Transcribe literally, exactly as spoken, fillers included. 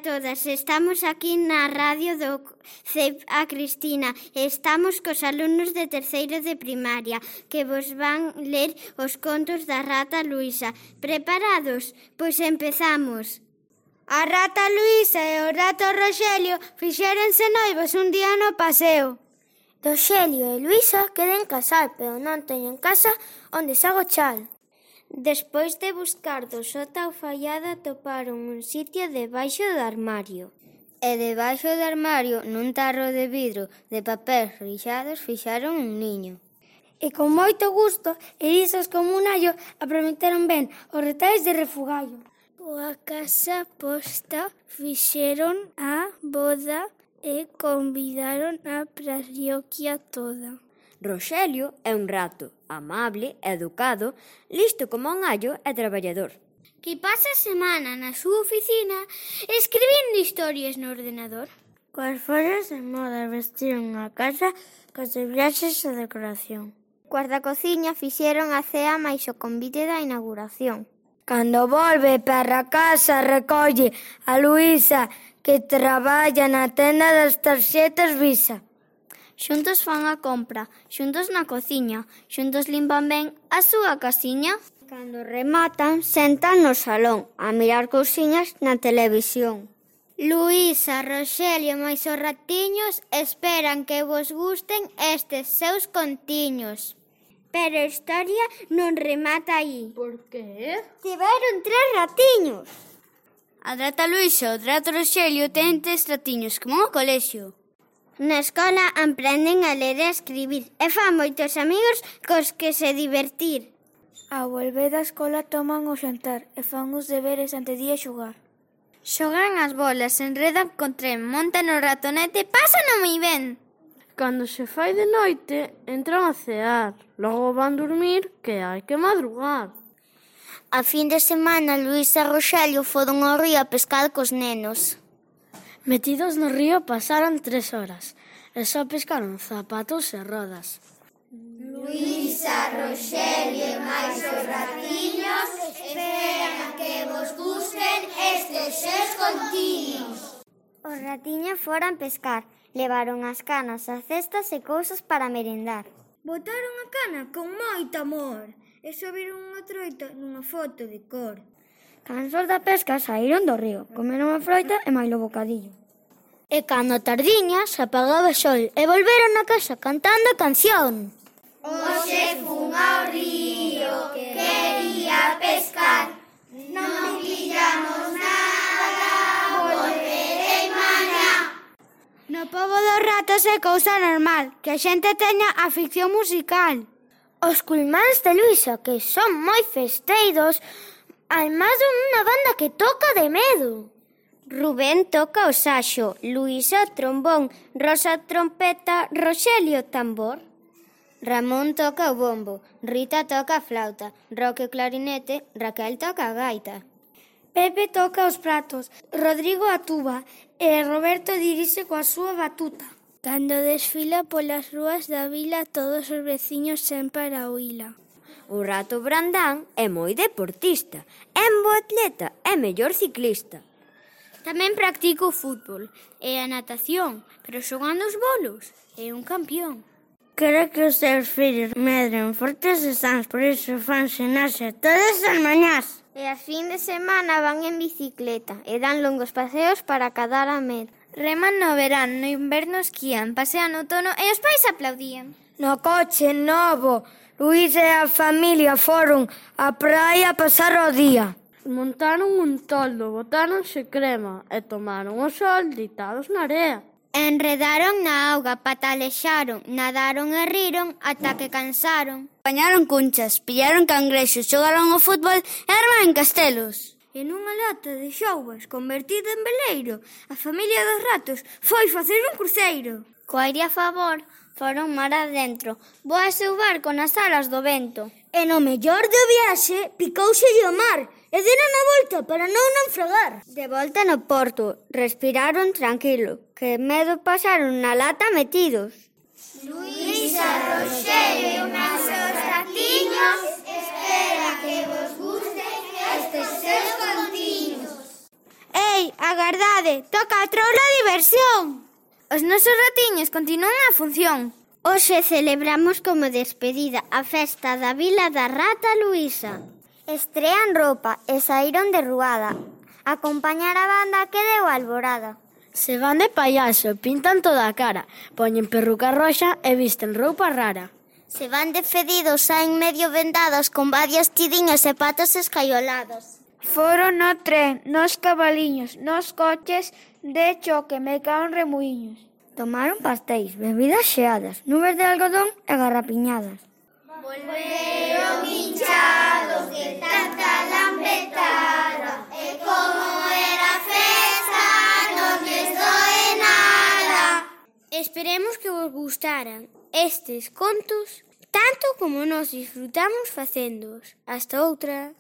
a todas. Estamos aquí na radio do C E P A Cristina. Estamos cos alumnos de terceiro de primaria que vos van ler os contos da rata Luisa. Preparados? Pois empezamos. A rata Luisa e o rato Roxelio fixéronse noivos un día no paseo. Roxelio e Luisa queren casar, pero non teñen casa onde se agochar. Despois de buscar do sota ao fallada atoparon un sitio debaixo do armario. E debaixo do armario, nun tarro de vidro de papel rixados, fixaron un niño. E con moito gusto e lisos como un allo aprometeron ben os retais de refugallo. Coa casa posta fixeron a boda e convidaron a parroquia toda. Roxelio é un rato, amable, educado, listo como un allo e traballador. Que pasa a semana na súa oficina escribindo historias no ordenador. Coas follas de moda vestiron a casa cos de viaxes e decoración. Coas da cociña fixeron a cea máis o convite da inauguración. Cando volve para casa recolle a Luisa que traballa na tenda das tarxetas Visa. Xuntos fan a compra, xuntos na cociña, xuntos limpan ben a súa casiña. Cando rematan, sentan no salón a mirar cousiñas na televisión. Luisa, Roxelio máis os ratiños esperan que vos gusten estes seus contiños. Pero a historia non remata aí. Por qué? Tiveron tres ratiños. A rata Luisa e o rato Roxelio ten tres ratiños, como no colexio. Na escola aprenden a ler e a escribir e fan moitos amigos cos que se divertir. Ao volver da escola toman o xantar e fan os deberes ante día xogar. Xogan as bolas, enredan con tren, montan o ratonete, pásano moi ben. Cando se fai de noite, entran a cear, logo van dormir que hai que madrugar. A fin de semana, Luís e Roxelio foron ao río a pescar cos nenos. Metidos no río pasaron tres horas e só pescaron zapatos e rodas. Luisa, Roxelio e máis os ratiños esperan que vos gusten estes seus contiños. Os ratiños foran pescar, levaron as canas, as cestas e cousas para merendar. Botaron a cana con moito amor e subiron unha troita nunha foto de cor. Cansos da pesca saíron do río, comeron a froita e mailo bocadillo. E cando a tardiña se apagaba o sol e volveron a casa cantando a canción. Hoxe fun ao río, quería pescar, non pillamos nada, volverei mañá. No pobo dos ratos é cousa normal que a xente teña afición musical. Os culmáns de Luisa, que son moi festeiros, además de unha banda que toca de medo. Rubén toca o saxo, Luisa trombón, Rosa trompeta, Roxelio tambor. Ramón toca o bombo, Rita toca a flauta, Roque o clarinete, Raquel toca a gaita. Pepe toca os pratos, Rodrigo a tuba e Roberto dirixe coa súa batuta. Cando desfila polas rúas da vila, todos os veciños sempre a oíla. O rato Brandán é moi deportista, é un bo atleta, é mellor ciclista. Tamén practica o fútbol e a natación, pero xogando os bolos é un campión. Quere que os seus fillos medren fortes e sans, por iso fan xinaxe todas as mañás. E a fin de semana van en bicicleta e dan longos paseos para cadar a med. Reman no verán, no inverno esquían, pasean no outono e os pais aplaudían. No coche novo, Luís e a familia foron á praia a pasar o día. Montaron un toldo, botáronse crema e tomaron o sol deitados na area. Enredaron na auga, patalexaron, nadaron e riron ata que cansaron. Apañaron cunchas, pillaron cangrexos, xogaron ao fútbol e armaron castelos. E nunha lata de xouvas convertida en veleiro, a familia dos ratos foi facer un cruceiro. Co aire a favor, foron mar adentro, voase o barco nas alas do vento. E no mellor do viaxe, picouselle o mar e deron a volta para non naufragar. De volta no porto, respiraron tranquilo, que medo pasaron na lata metidos. Luisa, Roxelio e máis os ratiños espera que vos gusten estes seus contiños. Ei, agardade, tarde, toca a troula diversión. Os nosos ratiños continúan a función. Hoxe celebramos como despedida a festa da Vila da Rata Luísa. Estrean roupa e saíron de ruada. Acompañar a banda que deu alborada. Se van de payaso, pintan toda a cara, poñen perruca roxa e visten roupa rara. Se van de fedidos, saen medio vendados con varios tidiños e patos escaiolados. Foron no tren, nos cabaliños, nos coches de choque, me caen remuiños. Tomaron pastéis, bebidas xeadas, nubes de algodón e garrapiñadas. Volveron hinchados de tanta lampetada, e como era festa non lles doe nada. Esperemos que vos gustaran estes contos tanto como nós disfrutamos facéndoos. Hasta outra.